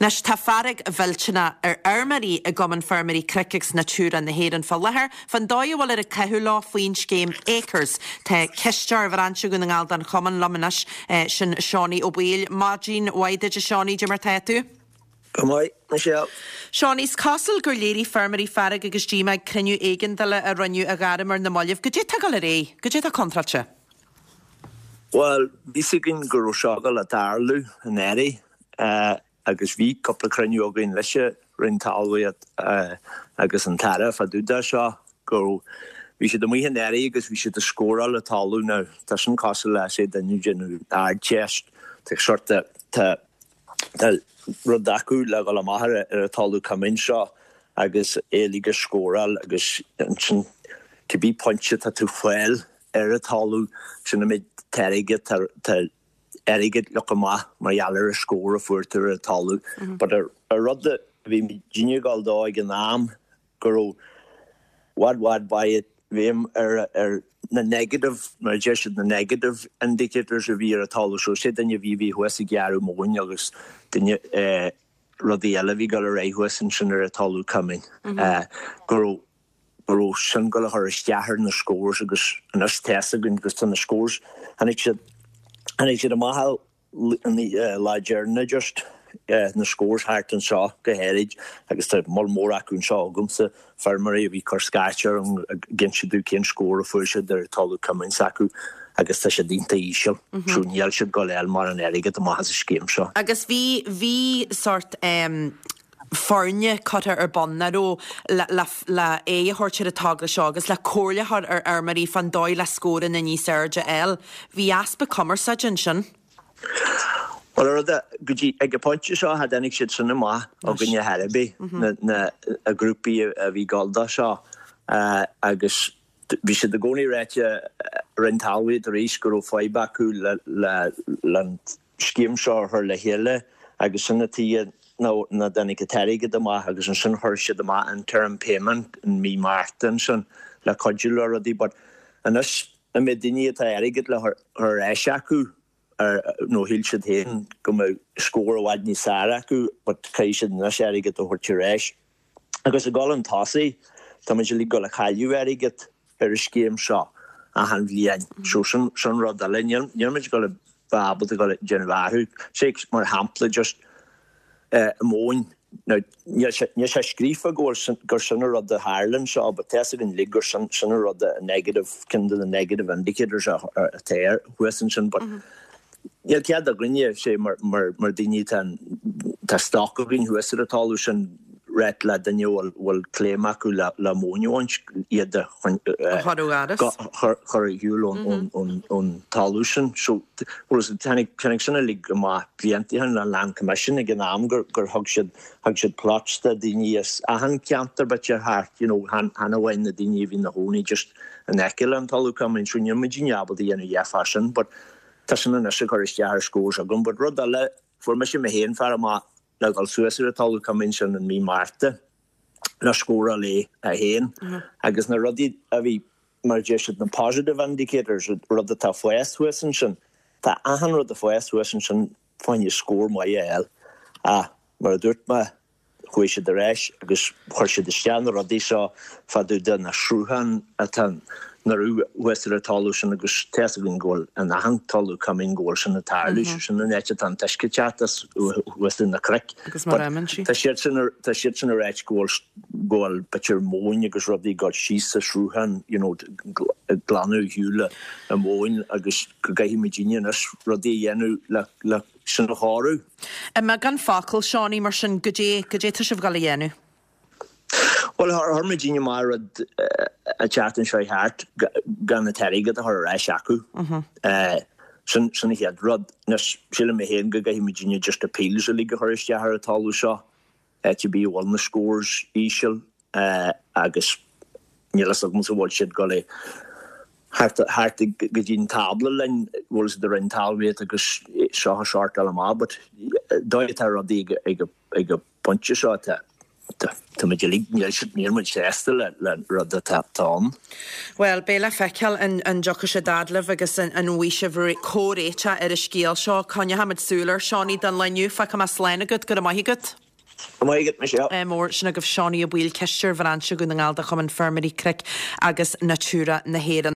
Anois, tá fearg mhillteanach ar fheirmeoirí i gCumann Feirmeoirí Cnoic agus Natura na hÉireann fá láthair fán dóigh a bhfuiltear ag caitheamh leo faoin scéim Acres. Tá cisteoir Bhrainse Dhún na nGall den chumann liom anois, sin Seánie Ó Baoill. Maidin mhaith duit a Seánie, cad é mar tá tú? Go maith, Michelle. Seánie, is cosúil gur léirigh feirmeoirí fearg agus díomá ag cruinniú éigeandála a rinneadh á ghairm ar na mallaibh. Goidé tá ag dul ar aghaidh? Goidé tá contráilte? Bhuel, bhí 'fhios againn go raibh seo ag dul a tarlú an earraigh agus bhí cúpla cruinniú againn leis an Roinn Talmhaíochta agus an tAire fá dtaobh de seo go raibh, bhí siad amuigh an earraigh agus bhí siad ag scóráil an talamh now tá sin cosúil le say duine ag déanamh Ardteist, tá sort de, tá tá rud acu le dhul amach ar an talamh coimín seo agus é uilig a scóráil agus ansin cibé pointe atá tú fáil ar an talamh sin an méid airgid tá airgead le íoc amach mar gheall ar an scór a fuair tú ar an talamh. But an rud a bhí muidinne ag dul dó ag an am go raibh bhfad bhfad bhfad bhéim ar ar na negative mar a deir siad na negative indicators a bhí ar an talamh so sé duine a bhí bhí thuas ag gearradh móin agus duine eh rudaí eile a bhí ag dul ar aghaidh thuas ansin ar an talamh coimín eh go raibh go raibh sin ag dul a chur isteach ar na scores agus anois tá 'fhios againn agus tá na scores tháinig siad tháinig siad amach an lá deireanach just na scores thart anseo go háirid agus tá moll mór acu anseo agamsa feirmeoirí a bhí ag cur scairte orm ag inse domh cén scór a fuair siad ar talamh coimín s'acu agus tá siad iontach íseal so níl siad ag dul a fháil mórán airgead amach as an scéim seo. Agus bhí bhí sort em foirne curtha ar bun, nach raibh, le le aghaidh a thabhairt ar an togra seo agus le comhairle a chur ar fheirmeoirí fán dóigh le scóranna níos airde a fháil. Bhí easpa cumarsáide ansin. Bhuel, an rud é, go dtí ag an pointe seo, cha dtáinig siad sin amach againne ar chor ar bith, na na grúpaí a bhí ag dul dó seo agus bhí siad i gcónaí ráite, Roinn Talmhaíochta arís, go raibh fadhb acu le le le an scéim seo a chur le chéile agus sin an tuige nach dtáinig an t-airgead amach agus ansin chuir siad amach interim payment in mí Márta ansin le cuidiú le rudaí but anois an méid daoine atá airgead le chur ar ais acu nó shíl siad féin go mbeadh scór i bhfad níos fearr acu but caithfidh siad anois airgead a thabhairt ar ais. Agus ag dul chun tosaigh, tá muid uilig ag dul a chailleadh airgead ar an scéim seo achan bhliain. So sin, sin rud eile. Níl, níl muid ag dul a bheith ábalta dul ag déanamh athrú. Say, mar shampla, just eh, móin. Now, níl sé, níl sé scríofa go bhfuil sin, gur sin an rud a tharla anseo, but tá 'fhios againn uilig gur sin, sin an rud a negative, ceann de na negative indicators a, a, atá ar, thuas ansin, but Níl cead againne, sé mar daoine atá, tá stoc againn thuas ar an talamh sin, ráit le duine a bhfuil claim acu le móin a bhaint, iad a chur ar shiúl ón talamh sin. So, bhuel, tháinig sin uilig amach blianta ó shin le Land Commission ag an am gur thug siad, thug siad plots do daoine as achan ceantar b'fhéidir thart, you know, chan amháin na daoine a bhí ina chónaí just in aice le an talamh coimín. So níl muidinne ábalta a dhéanamh a dhath fá sin but Tá sin anois ag cur isteach ar scores agam. But rud eile, fuair mise mé féin fear amach le dhul suas ar an talamh coimín sin in mí Márta le scóráil é féin agus na rudaí a bhí, mar a deir siad, na positive indicators, rud atá ag fás thuas ansin, tá achan rud ag fás thuas ansin fá choinne scór maith a fháil. Ach mar a dúirt mé, Chuaigh siad ar ais agus chuir siad isteach na rudaí seo fá dtaobh de na srutháin atá nach raibh thuas ar an talamh sin agus tá 'fhios againn go bhfuil in achan talamh coimín go bhfuil sin ag tarlú, sé sin an áit atá an t-uisce ag teacht as thuas ar na cnoic. Agus mar aimn sí. Tá siad sin tá siad sin ag ráit go bhfuil go bhfuil b'fhéidir móin agus rudaí ag dul síos sa sruthán you know ag glanadh ar shiúl an mhóin agus go gcaithfidh muidinne anois rudaí a dhéanamh le le sin a chóiriú. I mbeagán focal, Seánie, mar sin, goidé, goidé tá sibh ag dul a dhéanamh? Bhuel, chuir muidinne amach rud an tseachtain seo thart gan an t-airgead a chur ar ais acu. Sin, sin an chéad rud. Anois, sílim mé féin go gcaithfidh muidinne just appeals uilig a chur isteach ar an talamh seo. Áit ar bith a bhfuil na scores íseal agus níl fhios agamsa an bhfuil siad ag dul thart thart go dtí an tábla linn, bhfuil siad ag Roinn Talmhaíochta agus seo a shortáil amach but dóigh atá rudaí ag ag an bpointe seo tá tá. Tá muid uilig, níl siad, níl muid sásta le le rud atá ann. Bhuel, beidh le feiceáil an an dtiocfaidh siad fhad libh agus an an bhfaighidh sibh comhréiteach ar an scéal seo. Coinneochaimid súil air, Seánie, don lá inniu. Fágfaidh mé slán agat, go raibh maith agat. Go raibh maith agat, Michelle. Ádh mór. Sin agaibh Seánie Ó Baoill, Cisteoir Bhrainse Dhún na nGall de Chumann Feirmeoirí Cnoic agus Natura na hÉireann.